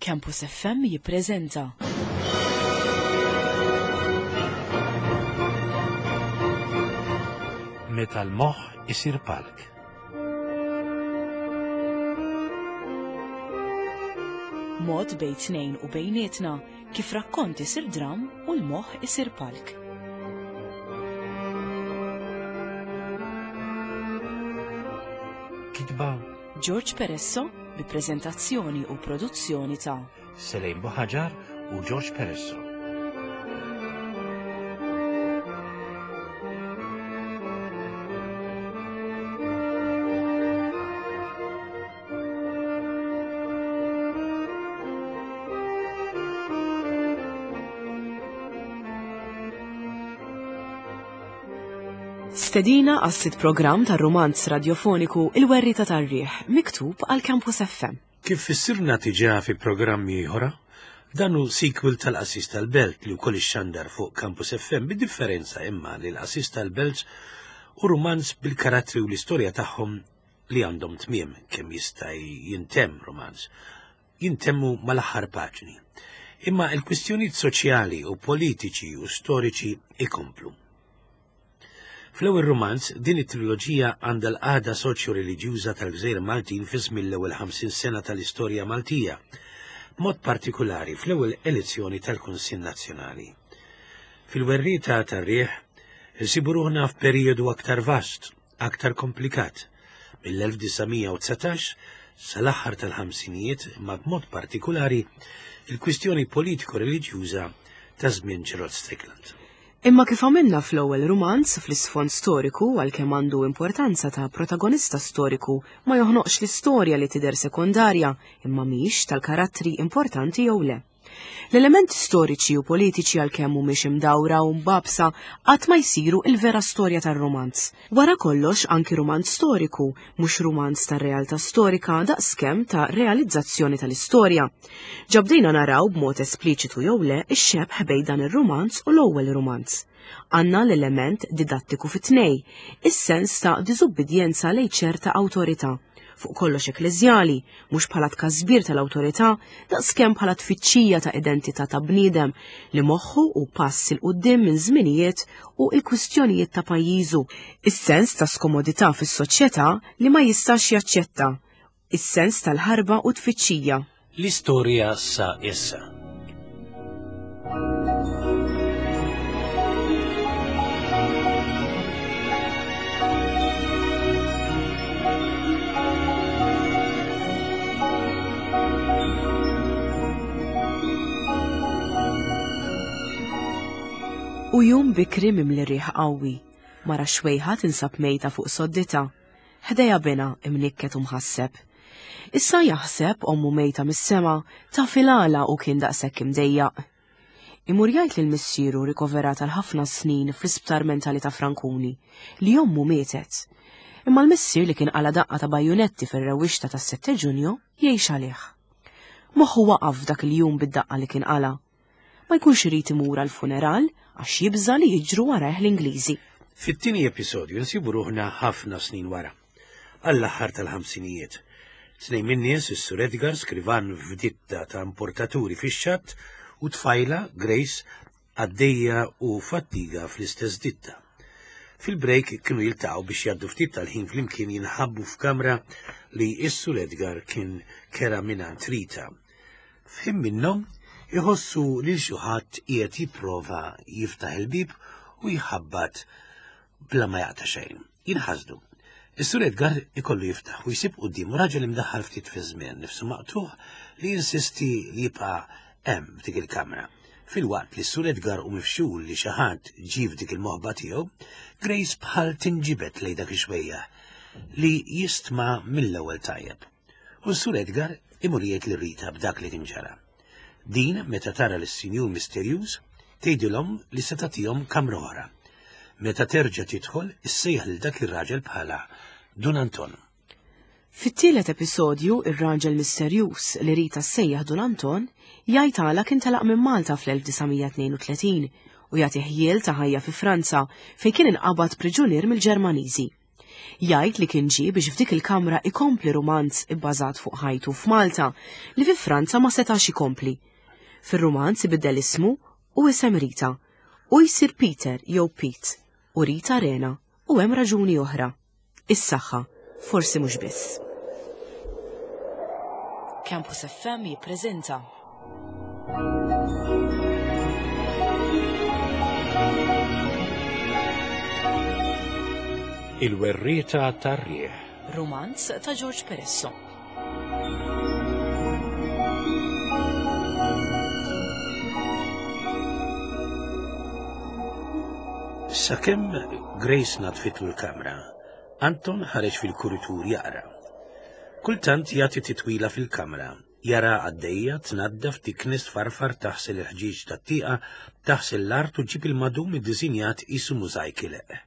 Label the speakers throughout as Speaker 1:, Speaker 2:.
Speaker 1: Campus FM jippreżenta.
Speaker 2: Meta l-moħħ isir palk.
Speaker 1: Mod bejn tnejn u bejnietna kif rakkont isir dram u l-moħħ isir palk.
Speaker 2: Kitba
Speaker 1: George Peresso bi preżentazzjoni u produzzjoni ta'
Speaker 2: Selejn Buħaġar u George Peresso.
Speaker 1: Stedina għas-sitt programm tar-rumanz radjofoniku Il-Werrieta tar-Riħ, miktub għal Campus FM.
Speaker 2: Kif fissirna diġà fi programmi oħra, dan hu sequel tal-Qassis tal-Belt li wkoll ixxandar fuq Campus FM bid-differenza imma li l-Qassis tal-Belt hu rumanz bil-karattri u l-istorja tagħhom li għandhom tmiem kemm jista' jintemm rumanz jintemmu mal-aħħar paġni. Imma l-kwistjonijiet soċjali u politiċi u storiċi ikomplu. Fl-ewwel rumanz, din it-triloġija għandha l-qagħda soċjo-reliġjuża tal-gżejjer Maltin fi żmien l-ewwel 50 sena tal-istorja Maltija, b'mod partikulari fl-ewwel elezzjoni tal-Kunsill Nazzjonali. Fil-Werrieta tar-Riħ, insibu ruħna f'perijodu aktar vast, aktar komplikat, mill-1919 sal-aħħar tal-ħamsinijiet imma b'mod partikulari il-kwistjoni politiko-reliġjuża ta' żmien Gerald Strickland.
Speaker 1: Imma kif għamilna fl-ewwel rumanz fl-isfond storiku għalkemm għandu importanza ta' protagonista storiku ma joħnoqx l-istorja li tidher sekondarja imma mhix tal-karattri importanti jew le. L-elementi storiċi u politiċi għalkemm mhumiex imdawra u mbagħbsa qatt ma jsiru il-vera storja tar-rumanz. Wara kollox anki rumanz storiku mhux rumanz tar-realtà storika daqskemm ta' realizzazzjoni tal-istorja. Ġa bdejna naraw b'mod espliċitu jew le x-xebh bejn dan ir-rumanz u l-ewwel rumanz. Għandna l-element didattiku fit-tnej, is-sens ta' diżubbidjenza lejn ċerta awtorità, fuq kollox ekkleżjali, mhux bħala tkasbir tal-awtorità, daqskemm bħala tfittxija ta' identità ta' bniedem li moħħu hu pass 'il quddiem minn żminijiet u l-kwistjonijiet ta' pajjiżu, is-sens ta' skomodità fis-soċjetà li ma jistax jaċċetta, is-sens tal-ħarba u tfittxija.
Speaker 2: L-istorja sa issa.
Speaker 1: U jum bikri mimli riħ qawwi, mara xwejħa tinsab mejta fuq soddita. Ħdejha binha imnikket u mħasseb. Issa jaħseb ommu mejta mis-sema taf il-għala hu kien daqshekk imdejjaq. Imur jgħid lil missieru rikoverat għal ħafna snin fl-isptar mentali ta' Frankuni li ommu mietet. Imma l-missier li kien qala daqqa ta' bajunetti fir-rewwixta tas-7 Ġunju jgħix għalih. Moħħu waqaf f'dak il-jum bid-daqqa li kien qala. Ma jkunx irid imur għall-funeral għax jibża' li jiġru warajh l-Ingliżi.
Speaker 2: Fit-tieni episodju nsibu ruħna ħafna snin wara, għall-aħħar tal-ħamsinijiet. Tnejn min-nies, is-Sur Edgar, skrivan f'ditta ta' importaturi fix-xatt, u tfajla, Grace, għaddejja u fattiga fl-istess ditta. Fil-break kienu jiltaqgħu biex jgħaddu ftit tal-ħin flimkien jinħabbu f'kamra li s-Sur Edgar kien kera mingħand Rita. F'ħin minnhom iħossu lil xi ħadd qiegħed jipprova jiftaħ il-bieb u jħabbat bla ma jaqta' xejn. Jinħasdu. Is-Sur Edgar ikollu jiftaħ u jsib quddiemu raġel imdaħħal ftit fiż-żmien, nifsu maqtugħ li jinsisti li jibqa' hemm f'dik il-kamra. Filwaqt li s-Sur Edgar hu mifxul li xi ħadd ġie f'dik il-moħba tiegħu, Grace bħal tinġibed lejn dak ix-xwejjaħ li jistma' mill-ewwel tajjeb. U s-Sur Edgar imur jgħid lil Rita b'dak li kien ġara. Din, meta tara lis-sinjur misterjuż, tgħidilhom li se tagħtihom kamra oħra. Meta terġa' tidħol, issejjaħ lil dak ir-raġel bħala Dun Anton.
Speaker 1: Fit-tielet episodju, ir-raġel misterjuż li Rita ssejjaħ Dun Anton jgħid għala kien telaq minn Malta fl-1932 u jagħti ħjiel ta' ħajja fi Franza fejn kien inqabad priġunier mill-Ġermaniżi. Jgħid li kien ġie biex f'dik il-kamra ikompli rumanz ibbażat fuq ħajtu f'Malta li fi Franza ma setax ikompli. Fir-rumanz ibiddel ismu u isem Rita u jsir Peter jew Pete u Rita Rena u hemm raġuni oħra. Is-saħħa, forsi mhux biss. Campus FM jippreżenta
Speaker 2: Il-werrieta tar-riħ.
Speaker 1: Rumanz ta' George Peresso.
Speaker 2: Sakemm Grace natfitlu l-kamra, Anton ħareġ fil-kuritur jaqra. Kultant jagħti titwila fil-kamra, jara għaddejja tnaddaf tiknes farfar taħsel il-ħġieġ tat-tieqa, taħsel l-art u ġib il-madum iddisinjat qisu mużajk ileqq.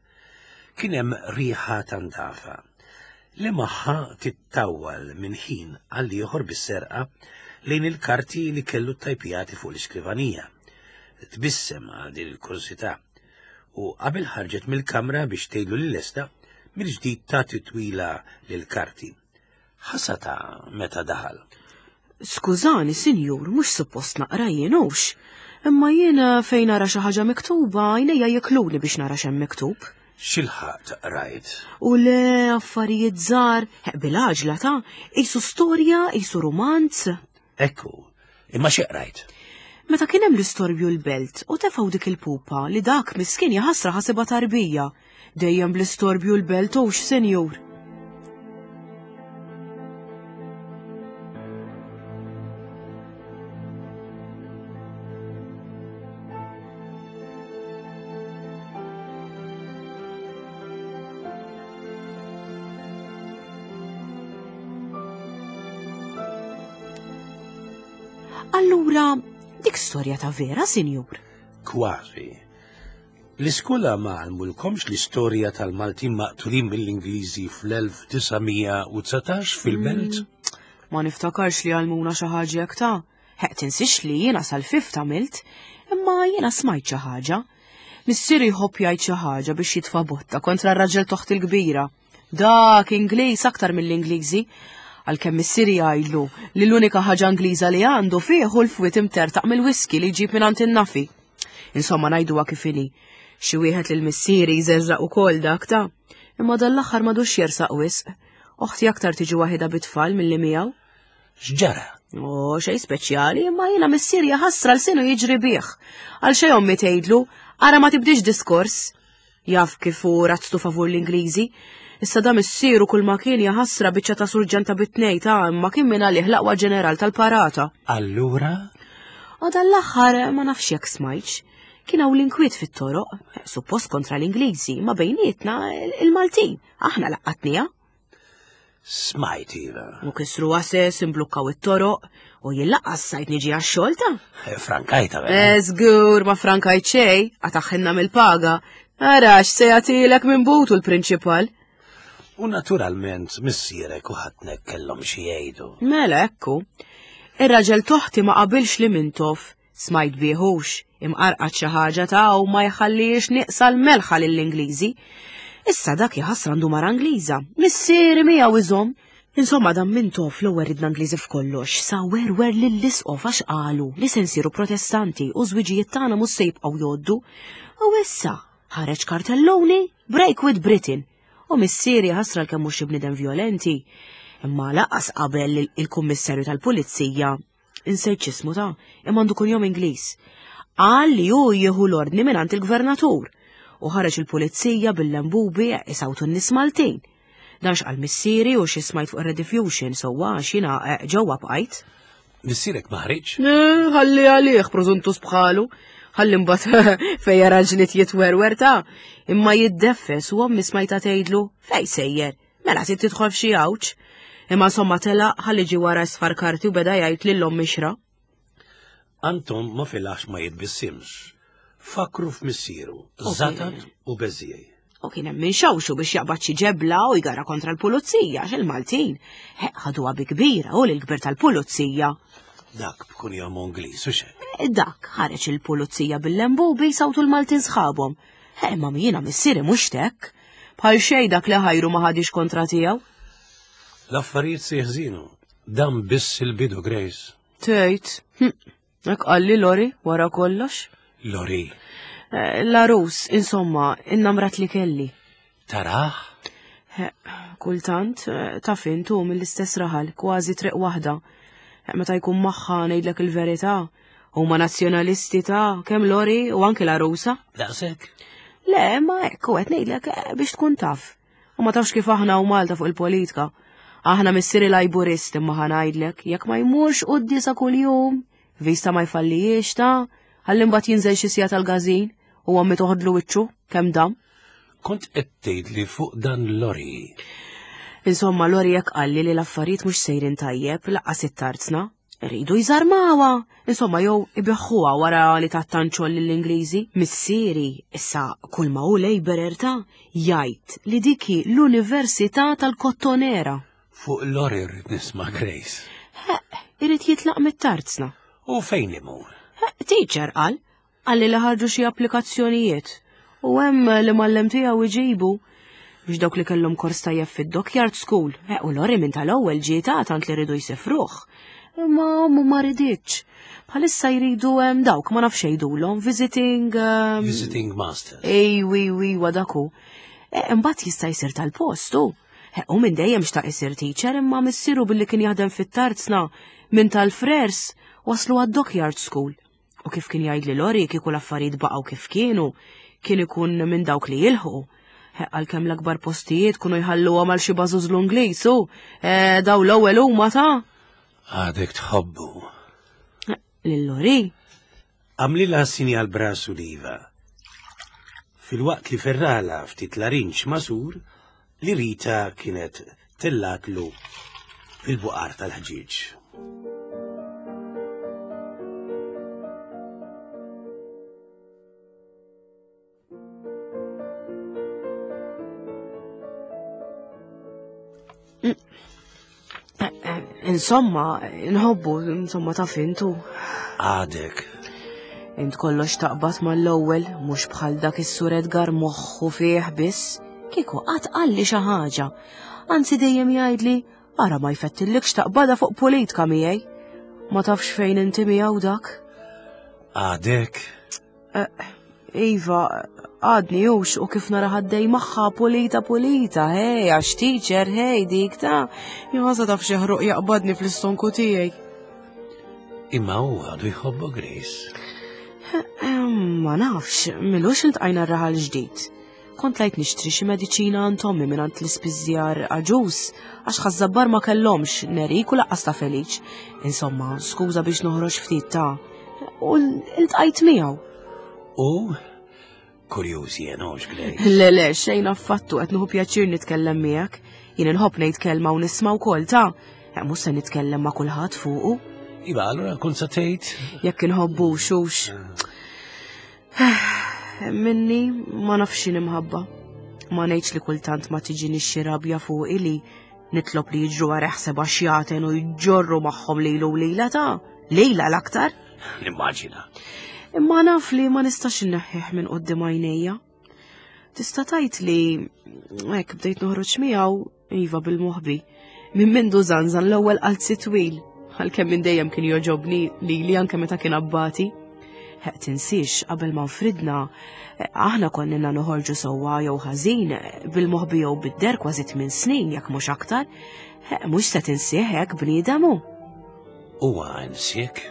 Speaker 2: Kien hemm riħa ta' ndafa li magħha tittawwal minn ħin għal ieħor bis-serqa lejn il-karti li kellu ttajpjati fuq l-iskrivanija. Tbissem għal din il-kurżità u qabel ħarġet mill-kamra biex tgħidlu li lesta, mill-ġdid ta titwila lill-karti. Ħasata meta daħal.
Speaker 1: Skużani, sinjur, mhux suppost naqra jien hux. Imma jien eh, fejn nara xi ħaġa miktuba, għajnejja jikluni biex nara x'hemm miktub.
Speaker 2: X'ilħaqt rajt?
Speaker 1: U le affarijiet żgħar, eh, bil-għaġla ta' qisu storja, qisu rumanz.
Speaker 2: Ekku, imma xi qrajt?
Speaker 1: Meta kien hemm l-istorbju l-belt u tefgħu dik il-pupa li dak miskin jaħasra ħasibha tarbija. Dejjem bl-istorbju l-belt hux, senjur. Allura, dik storja ta' vera, sinjur?
Speaker 2: Kważi. L-iskola ma għalmulkomx l-istorja tal-Maltin maqtulin mill-Ingliżi fl-1919 fil-belt?
Speaker 1: Mm, ma niftakarx li għalmuna xi ħaġa hekk ta'. Heq tinsix li jiena sal-fifth għamilt, imma jiena smajt xi ħaġa. Missieri jħobb jgħid xi ħaġa biex jitfa' botta kontra r-raġel toħt il-kbira. Dak Ingliż aktar mill-Ingliżi. Għalkemm missieri jgħidlu li l-unika ħaġa Ingliża li għandu fih hu l-fwiet imtertaq mill-whisky li jġib mingħand in-nafi. Insomma ngħiduha kif inhi. Xi wieħed lil missieri jżerżaq ukoll dak ta' imma dan l-aħħar m'għadux jersaq wisq. Oħti aktar tiġi waħidha bit-tfal milli miegħu.
Speaker 2: X'ġara?
Speaker 1: O, xej speċjali, imma jiena missieri jaħasra l-sinu jiġri bih. Għal xejn ommi tgħidlu, ara ma tibdix diskors. Jaf kif hu razztu favur l-Ingliżi. Issa da missieru kull ma kien jaħasra biċċa ta' surġenta bit-tnej ta' imma kien minn għalih l-aqwa ġeneral tal-parata.
Speaker 2: Allura?
Speaker 1: U dan l-aħħar ma nafx jekk smajtx. Kien hawn l-inkwiet fit-toroq, suppost kontra l-Ingliżi, ma bejnietna il-Maltin. Aħna laqqatnija.
Speaker 2: Smajt iva.
Speaker 1: U kisru għases, imblukkaw it-toroq, u jien laqqas sajt niġi għax-xogħol ta'.
Speaker 2: Eh, frankajta
Speaker 1: vera. Eh, żgur ma frankajt xejn, għataħħinna mill-paga. Arax se jagħtilek minn butu l-prinċipal.
Speaker 2: U naturalment missierek u ħatnek kellhom xi jgħidu.
Speaker 1: Mela ekku. Ir-raġel toħti ma qabilx li mintof Smajt bih hux, imqarqat xi ħaġa ta' u ma jħallihiex nieqsa l-melħa lill-Ingliżi. Issa dak jaħasra għandu mara Ingliża, missieri miegħu iżomm. Insomma dan Mintoff l-ewwel ridna Ingliżi f'kollox, sa werwer lill-isqof għax qalu li se nsiru Protestanti u żwiġijiet tagħna mhux se jibqgħu jgħoddu. U issa ħareġ kartelluni Break with Britain. U missieri ħasra l-kemm mhux xi bniedem vjolenti, imma laqas qabel il-kummissarju tal-pulizija insejt x'ismu ta' imma għandu kunjom Ingliż. Qal li hu jieħu l-ordni mingħand il-gvernatur u ħareġ il-pulizija bil-lembubi isawtu n-nies Maltin. Dan x'qal missieri u xi smajt fuq ir-rediffusion sewwa għax jiena eh, ġewwa bqajt.
Speaker 2: Missierek ma ħriġ?
Speaker 1: Eh, ħalli għalih prożuntus bħalu. Ħalli mbagħad fejn jara ġlied jitwerwer ta' imma jiddeffes u ommi smajta tgħidlu fej sejjer. Mela trid tidħol f'xi għawġ. Imma insomma telaq ħalli ġie wara isfar karti u beda jgħid lil ommi xra.
Speaker 2: Anton ma filax ma jitbissimx. Fakru f'missieru, zatat u beżiej.
Speaker 1: U kien hemm min xawxu biex jaqbad xi ġebla u jgara kontra l-pulizija għax il-Maltin ħaduha bi kbira u l-kbir tal-pulizija.
Speaker 2: Dak b'kun jom Ingliż u xejn.
Speaker 1: E, dak ħareġ il-pulizija bil-lembubi sawtu l-Maltin sħabhom. Eh, ma jiena missieri mhux tek. Bħal xejn dak li ħajru ma ħadix kontra tiegħu.
Speaker 2: L-affarijiet se jeħżinu. Dan biss il-bidu, Grace.
Speaker 1: Tgħid. Hm. Hekk qalli Lori wara kollox.
Speaker 2: Lori.
Speaker 1: Eh, l-arus, insomma, innamrat li kelli.
Speaker 2: Taraħ?
Speaker 1: Kultant, eh, taf intu mill-istess raħal, kważi triq waħda. Eh, meta jkun magħha ngħidlek il-verità, huma nazzjonalisti ta' kemm Lori u anki l-arusa.
Speaker 2: Daqshekk?
Speaker 1: Le, ma hekk u qed ngħidlek eh, biex tkun taf. U ma tafx kif aħna u Malta fuq il-politika. Aħna missieri lajburist imma ħanajdlek, jekk ma jmurx quddisa kuljum, vista ma jfallijiex ta' ħalli mbagħad jinżel xi sija tal-gażin u għammi toħodlu wiċċu kemm dam.
Speaker 2: Kont qed tgħidli fuq dan Lori.
Speaker 1: Insomma, Lori jekk qalli li l-affarijiet mhux sejrin tajjeb laqqas it-tarzna. Iridu jżarmawha, insomma jew ibiħħuha wara li tattanċol lill-Ingliżi. Missieri, issa kull ma hu Labourer ta' jgħid li dik hi l-Università tal-Kottonera.
Speaker 2: Fuq Lori rrid nisma' Grace.
Speaker 1: Ħeq, irid jitlaq mit-tarzna.
Speaker 2: U fejn imur?
Speaker 1: Ħeq, teacher qal, Qalli li ħarġu xi applikazzjonijiet u hemm li mallem tiegħu iġibu biex dawk li kellhom kors tajjeb fid-Dockyard School, eh, u Lori minn tal-ewwel ġieta tant li rridu jsifruh. Imma ommu ma riditx. Bħalissa jridu hemm dawk ma nafx jgħidulhom visiting um,
Speaker 2: Visiting Masters.
Speaker 1: Ejwi, wi, wadaku. Eh, imbagħad jista' jsir tal-post u. Eh, u minn dejjem xtaq isir teacher imma missieru billi kien jaħdem fit-tarzna minn tal-frers waslu għad-Dockyard School. U kif kien jgħidli Lori kieku l-affarijiet baqgħu kif kienu, kien ikun minn dawk li jilħu. Għalkemm l-akbar postijiet kunu jħalluhom għal xi bażuż l-Ingliż u e, daw l-ewwel huma ta'
Speaker 2: Għadek tħobbu.
Speaker 1: Lil Lori.
Speaker 2: Għamlilha sinjal brasu liva. Filwaqt li ferrala ftit larinġ masur li Rita kienet tellatlu fil-buqar tal-ħġieġ.
Speaker 1: Insomma, nħobbu, insomma taf intu.
Speaker 2: Għadek.
Speaker 1: Int kollox taqbad mal-ewwel, mhux bħal dak is-sur Edgar moħħu fih biss. Kieku qatt qalli xi ħaġa. Anzi dejjem jgħidli, ara ma jfettillikx taqbada fuq politika miegħi. Ma tafx fejn inti miegħu dak.
Speaker 2: Għadek.
Speaker 1: Eh, iva, għadni hux u kif nara ħaddej magħha pulita pulita, hej, għax teacher, hej, dik ta' jħosa taf xi ħruq jaqbadni fl-istonku tiegħi.
Speaker 2: Imma hu għadu jħobbu Grace.
Speaker 1: Eh, ma nafx, milux iltqajna r-raħal ġdid. Kont lajt nixtri xi mediċina għand ommi mingħand l-ispiżjar aġus għax ħaż-żabbar ma kellhomx nerik u laqqas ta' Feliċ. Insomma, skuża biex noħroġ ftit ta' u ltqajt miegħu.
Speaker 2: U kurjuż jien hux Grace.
Speaker 1: Le le, xejn affattu qed nieħu pjaċir nitkellem miegħek. Jien inħobb ngħid kelma u nisma' wkoll ta' eh, mhux se nitkellem ma' kulħadd fuqu.
Speaker 2: Iva, allura kont sa tgħid?
Speaker 1: Jekk inħobbu xux. Minni ma nafx x'inhi mħabba. Ma ngħidx li kultant ma tiġini xi rabja fuqi li nitlob li jiġru wara ħseba xjaten u jġorru magħhom lilu u lila ta' lejla l-aktar.
Speaker 2: Nimmaġina.
Speaker 1: Imma naf li ma nistax inneħħih minn qudiem għajnejja. Tista' tgħid li hekk bdejt noħroġ miegħu Iva bil-moħbi. Minn mindu zanzan l-ewwel qalzi twil, għalkemm minn dejjem kien joġobni lili anke meta kien abbati. Heq tinsiex qabel ma nfridna, aħna konna noħorġu sewwa jew ħażin bil-moħbi jew bid-der kważi tmien snin jekk mhux aktar. Mhux se tinsih hekk bniedem hu.
Speaker 2: Huwa nsiek?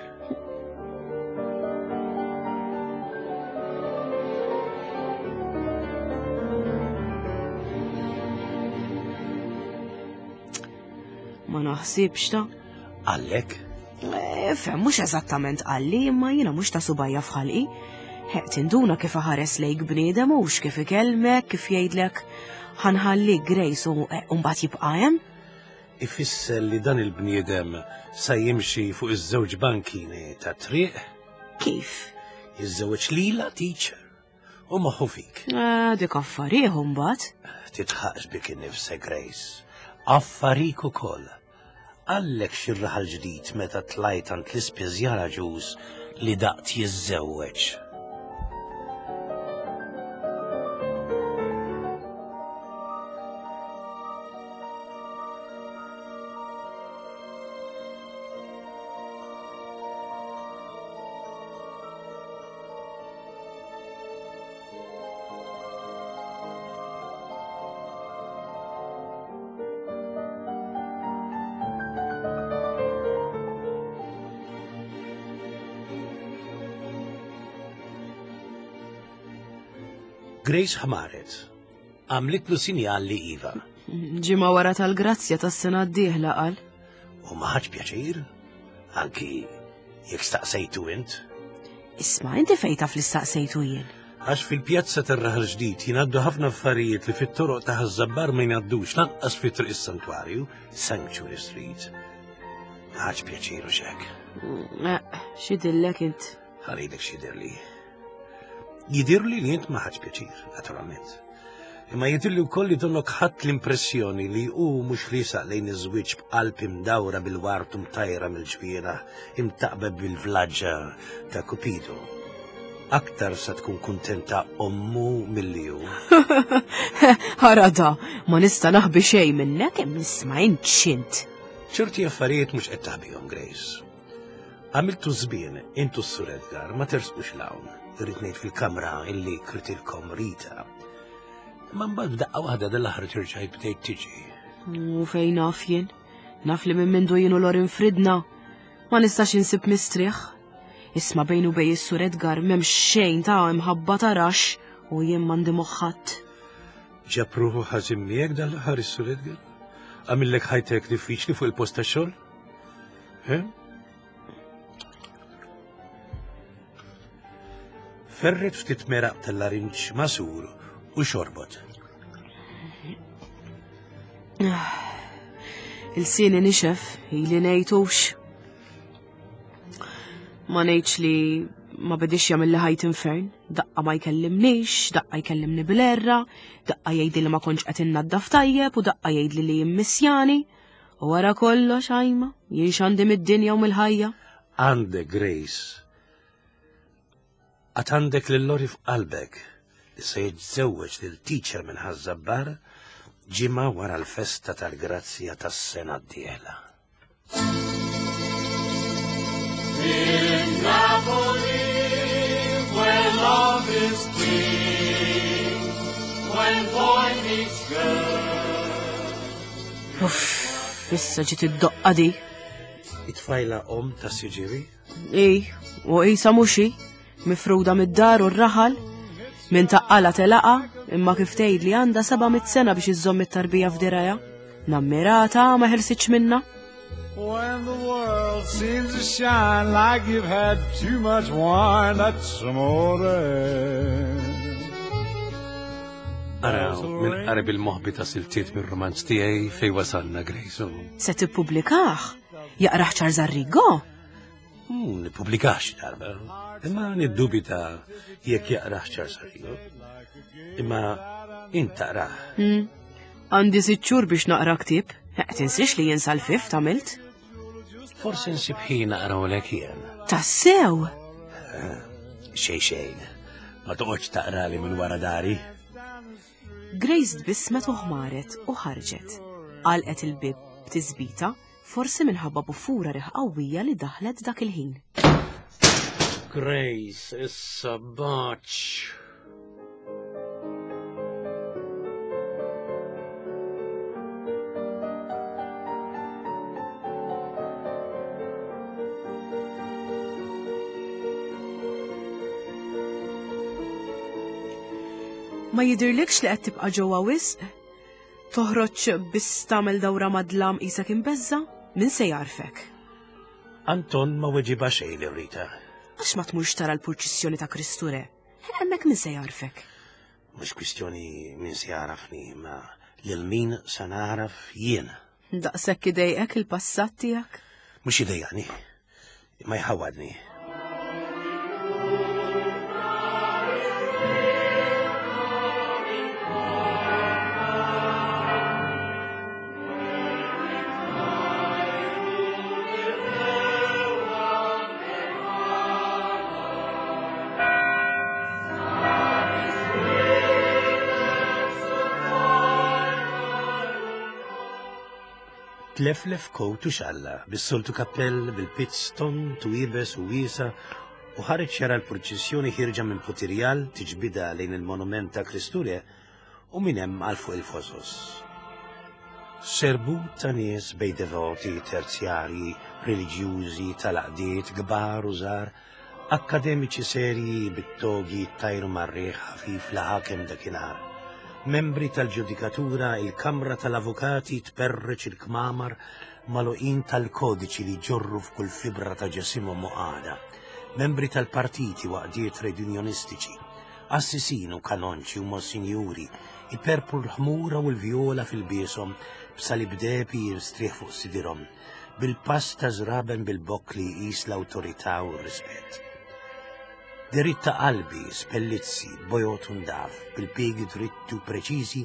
Speaker 1: Ma naħsibx ta'
Speaker 2: Għallek?
Speaker 1: Eh, fem, mhux eżattament qalli, imma jiena mhux ta' subajja f'ħalqi. Heq tinduna kif aħares lejk bniedem u kif ikellmek, kif jgħidlek ħanħalli Grace u eh, mbagħad jibqa' hemm.
Speaker 2: Ifisser li dan il-bniedem sa jimxi fuq iż-żewġ bankini ta' triq?
Speaker 1: Kif?
Speaker 2: Jiżżewweġ lila teacher u moħħu fik.
Speaker 1: Eh, dik affarih mbagħad.
Speaker 2: Titħaqx bik innifsek Grace. Affarik ukoll. Għallek xi raħal ġdid meta tlajt għand l-ispiżjara ġuż li daqt jiżżewweġ. Grace ħmaret. Għamlitlu sinjal li iva.
Speaker 1: Ġimgħa wara tal-grazzja tas-sena d-dieħla qal.
Speaker 2: U ma ħadx pjaċir, anki jekk staqsejtu int.
Speaker 1: Isma' inti fejn taf li staqsejtu jien.
Speaker 2: Għax fil-pjazza tar-Raħal Ġdid jingħaddu ħafna affarijiet li fit-toroq ta' Ħaż-Żabbar ma jingħaddux lanqas fi Triq is-Santwarju, Sanctuary Street. Ma ħadx pjaċir u xek.
Speaker 1: Mm, eh, x'idillek int?
Speaker 2: Ħaridek x'jidirli. Jidirli li int ma ħadx pjaċir, naturalment. Imma jidirli wkoll li donnok ħadd l-impressjoni li hu mhux riesaq lejn iż-żwieġ b'qalb imdawra bil-ward u mtajra mill-ġwienaħ imtaqba bil-vlaġġa ta' Kupido. Aktar sa tkun kuntenta ommu milli hu.
Speaker 1: Ara da, ma nista' naħbi xejn minnek hemm isma' int x'int.
Speaker 2: Ċerti affarijiet mhux qed taħbihom, Grace. Għamiltu żbien, intu s-Sur Edgar, ma tersqux l-hawn, irrid ngħid fil-kamra illi kritilkom Rita. Imma mbagħad b'daqqa waħda dal-aħħar terġajt bdejt tiġi.
Speaker 1: U fejn naf jien? Naf li minn mindu jien u Lorin fridna. Ma nistax insib mistrieħ. Isma' bejn u bej is-Sur Edgar m'hemm xejn ta' imħabba ta' rax u jien m'għandi moħħat.
Speaker 2: Ġab ruħu ħażin miegħek dal-aħħar is-Sur Edgar? Għamillek ħajtek diffiċli fuq il-post tax-xogħol? Ferret ftit meraq tal-larinġ masur u xorbot.
Speaker 1: Il-sini nixef, ili ngħidux. Ma ngħidx li ma bedix jagħmel li ħajt infern, daqqa ma jkellimnix, daqqa jkellimni bil-erra, daqqa jgħidli li ma kontx qed innaddaf tajjeb u daqqa jgħidli li jimmissjani. U wara kollox, għajma, jien x'għandi mid-dinja u mill-ħajja.
Speaker 2: Għandek, Grace. Għad għandek lil Lori f'qalbek li se jiżżewweġ lil teacher minn Ħaż-Żabbar ġimgħa wara l-festa tal-Grazzja tas-sena d-dieħla.
Speaker 3: In Napoli, where love is king, when boy meets girl.
Speaker 1: Uff, issa ġiet id-doqqa di.
Speaker 2: It-tfajla om ta' siġiri?
Speaker 1: Ej, u qisha mhux hi, mifruda mid-dar u r-raħal, minn taqqala telaqa, imma kif tgħid li għandha 700 sena biex iżżomm it-tarbija f'dirajha. Nammirata ma ħelsitx minna.
Speaker 3: When the world seems to shine like you've had too much wine, that's amore.
Speaker 2: Araw, minn qarib il-moħbi ta' siltiet mir-romanz tiegħi fej wasalna Grace.
Speaker 1: Se tippubblikah? Jaqrah Charles Arrigo?
Speaker 2: Hmm, Nippubblikax darba, imma niddubita jekk jaqrah Charles Arrigo. Imma int taqrah.
Speaker 1: Hmm. Għandi sitt xhur biex naqra ktieb. Eh, tinsiex li jien sal-fift għamilt.
Speaker 2: Forsi nsib ħin naqrawlek jien.
Speaker 1: Tassew?
Speaker 2: Eh, xejn xejn. Ma toqgħodx taqrali minn wara dari.
Speaker 1: Grace tbissmet u ħmaret u ħarġet. Għalqet il-bib b'tisbita Forsi minħabba buffura riħ qawwija li daħlet dak il-ħin.
Speaker 2: Grace, issa baċ.
Speaker 1: Ma jidhirlikx li qed tibqa' ġewwa wisq? Toħroġ biss tagħmel dawra mad-dlam qisek imbeżża'? Min se jagħrfek?
Speaker 2: Anton ma weġibha xejn lil Rita.
Speaker 1: Għax ma tmurx tara l-purċissjoni ta' Kristu Re? Hemmhekk min se jagħrfek?
Speaker 2: Mhux kwistjoni min se jagħrafni, imma lil min se nagħraf jien.
Speaker 1: Daqshekk idejqek il-passat tiegħek?
Speaker 2: Mhux idejjaqni, imma jħawwadni. Tleflef kowt u xalla, bis-soltu kappell, bil-pizz tond u iebes u wiesa' u ħareġ jara l-purċissjoni ħierġa minn Putirjal tiġbidha lejn il-monument ta' Kristu Re u minn hemm għal fuq il-fosos. Serbut ta' nies bejn devoti, terzjarji, reliġjużi, tal-għaqdiet, kbar u żgħar, Akkademiċi serji bit-togi jittajru mar-riħ ħafif li ħakem dakinhar. Membri tal-ġudikatura, il-Kamra tal-Avukati tperreċ il-kmamar magħluqin tal-kodiċi li jġorru f'kull fibra ta' ġesimhom u qagħda. Membri tal-partiti u għaqdiet trejdunjonistiċi, qassisin u kanonċi u monsinjuri iperpru l-ħmura u l-vjola f'ilbieshom b'salib dehbi jinstrieħ fuq sidirhom. bil-pass ta' żraben bil-bokk li jqis l-awtorità u r-rispett. Deritt ta' qalbi, spellizzi, bojod u ndaf, bil-piegi dritti u preċiżi,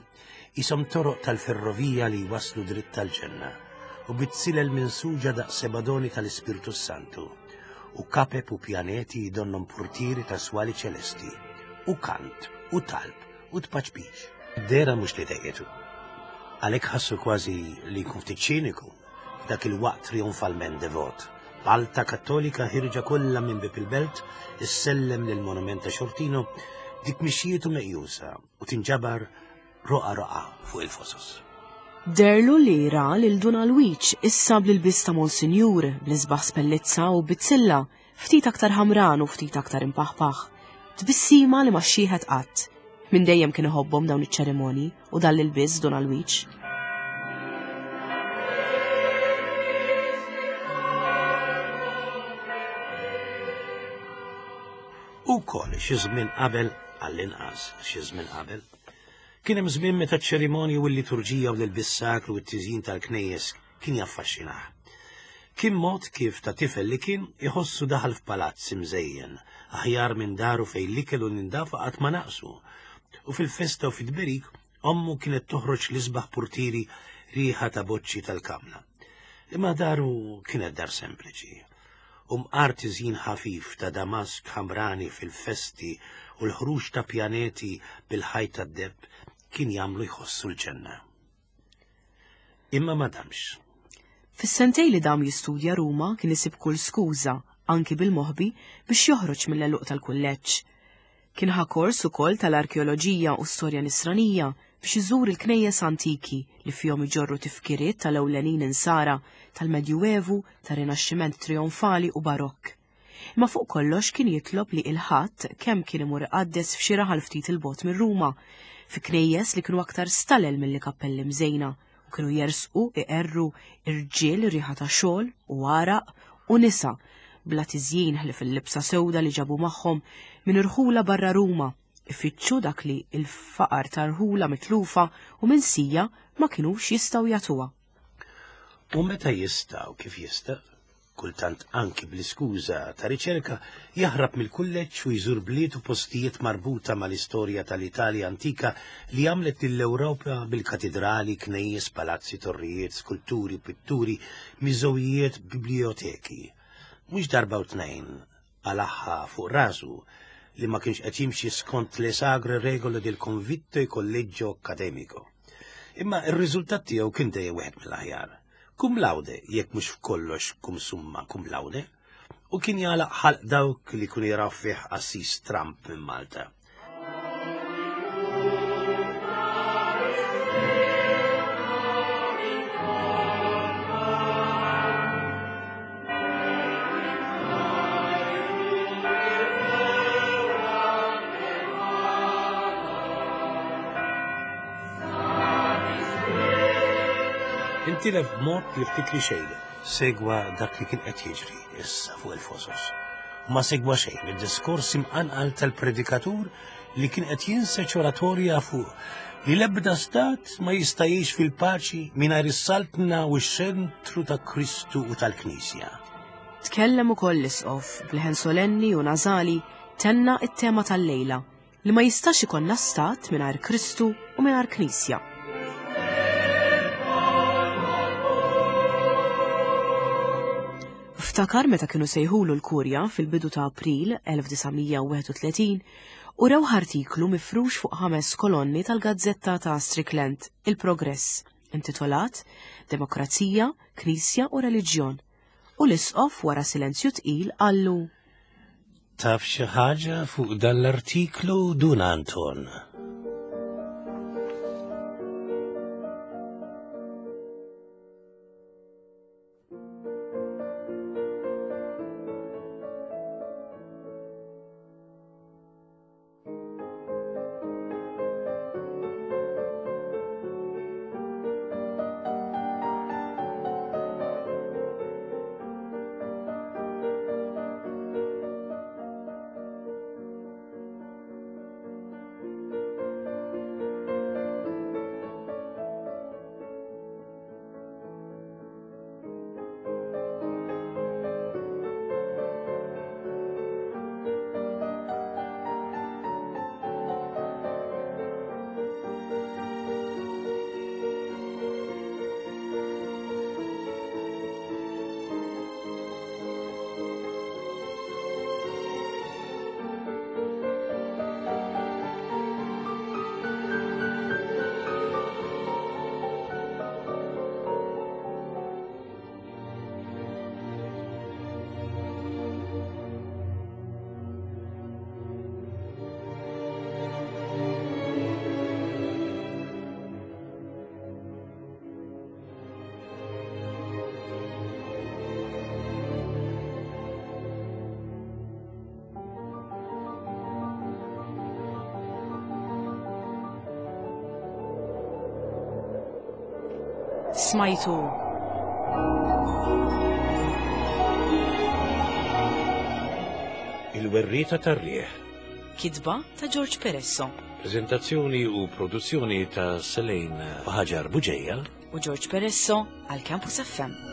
Speaker 2: qishom toroq tal-ferrovija li jwasslu dritt għall-ġenna, u bit-silel minsuġa daqs sebadoni tal-Ispirtu s-Santu, u kapep u pjaneti donnhom purtieri ta' swali ċelesti, u kant, u talb, u tpaċpiċ. Dehra mhux li dejqitu. Għalhekk ħassu kważi li jkun ftit ċiniku f'dak il-waqt trionfalment devot. Malta Kattolika ħirġa kollha minn bieb il-belt, issellem lill-monument ta' Xortino, dik mixjietu meqjusa u tinġabar roqgħa roqgħa fuq il-fosos.
Speaker 1: Deherlu li ra lil Dun Alwiġ issa bl-ilbies ta' Monsinjur, bl-isbaħ spellizza u bizzilla, ftit aktar ħamran u ftit aktar impaħpaħ. Tbissima li ma xxieħet qatt. Minn dejjem kien iħobbhom dawn iċ-ċerimonji u dan l-ilbies Dun Alwiġ.
Speaker 2: Ukoll xi żmien qabel, għall-inqas xi żmien qabel, kien hemm żmien meta ċ-ċerimonji u l-liturġija u l-ilbies sakru u t-tiżjin tal-knejjes kien jaffaxxinah. Kien mod kif ta' tifel li kien iħossu daħal f'palazz imżejjen, aħjar minn daru fejn l-ikel u l-indafa qatt ma naqsu. U fil-festa u fit-tberik, ommu kienet toħroġ l-isbaħ purtieri riħa ta' boċċi tal-kamla. Imma daru kienet dar sempliċi. U mqar tiżjin ħafif ta' damask ħamrani fil-festi u l-ħruġ ta' pjaneti bil-ħajt tad-deheb kien jagħmlu jħossu l-ġenna. Imma ma damx.
Speaker 1: Fis-sentej li dam jistudja Ruma kien isib kull skuża, anki bil-moħbi, biex joħroġ mill-għeluq tal-kulleġġ. Kien ħa kors ukoll tal-arkeoloġija u storja nisranija biex iżur il-knejjes antiki li fihom iġorru tifkiriet tal-ewlenin insara tal-Medjuevu, tar-Rinaxximent Trionfali u Barokk. Imma fuq kollox kien jitlob li il-Ħadd kemm kien imur iqaddes f'xi raħal ftit 'il bogħod minn Ruma, fi knejjes li kienu aktar stalel milli kappelli mżejna u kienu jersqu iqerru irġiel riħa ta' xogħol u għaraq u nisa bla tiżjin ħlief il-libsa sewda li ġabu magħhom minn irħula barra Ruma, ifittxu dak li l-faqar ta' rħula mitlufa u minsija ma kinux jistgħu jagħtuha.
Speaker 2: U meta jista' u kif jista', kultant anki bl-iskuża ta' riċerka, jaħrab mill-kulleġġ u jżur bliet u postijiet marbuta mal-istorja tal-Italja antika li għamlet lill-Ewropa bil-katidrali, knejjes, palazzi, torrijiet, skulturi, pitturi, miżewijiet, biblijoteki. Mhux darba u tnejn qalagħha fuq rasu li ma kienx qed jimxi skont le sagre regole del convitto e collegio accademico. Imma r-riżultat tiegħu kien dejjem wieħed mill-aħjar. Cum laude, jekk mhux f'kollox cum summa cum laude, u kien jagħlaq ħalq dawk li kienu jaraw fih qassis Trump minn Malta. Intilef b'mod li ftit li xejn segwa dak li kien qed jiġri issa fuq il-fosos. U ma segwa xejn mid-diskors imqanqal tal-predikatur li kien qed jinseġ oratorja fuq li l-ebda stat ma jista' jgħix fil-paċi mingħajr is-saltna u x-xentru ta' Kristu u tal-Knisja.
Speaker 1: Tkellem ukoll l-Isqof b'leħen solenni u nażali tenna t-tema tal-lejla li ma jistax ikollna stat mingħajr Kristu u mingħajr Knisja. Ftakar meta kienu sejħulu l-Kurja fil-bidu ta' April 1931 u rewh artiklu mifrux fuq ħames kolonni tal-gazzetta ta' Strickland, Il-Progress, intitolat Demokrazija, Knisja u Reliġjon. U l-Isqof wara silenzju tqil qallu.
Speaker 2: Taf xi ħaġa fuq dan l-artiklu Dun Anton?
Speaker 1: Smajtu
Speaker 2: Il-werrieta tar-riħ.
Speaker 1: Kitba ta' George Peresso.
Speaker 2: Prezentazzjoni u produzzjoni ta' Selene Ħaġar Buġeja
Speaker 1: u George Peresso għal Campus FM.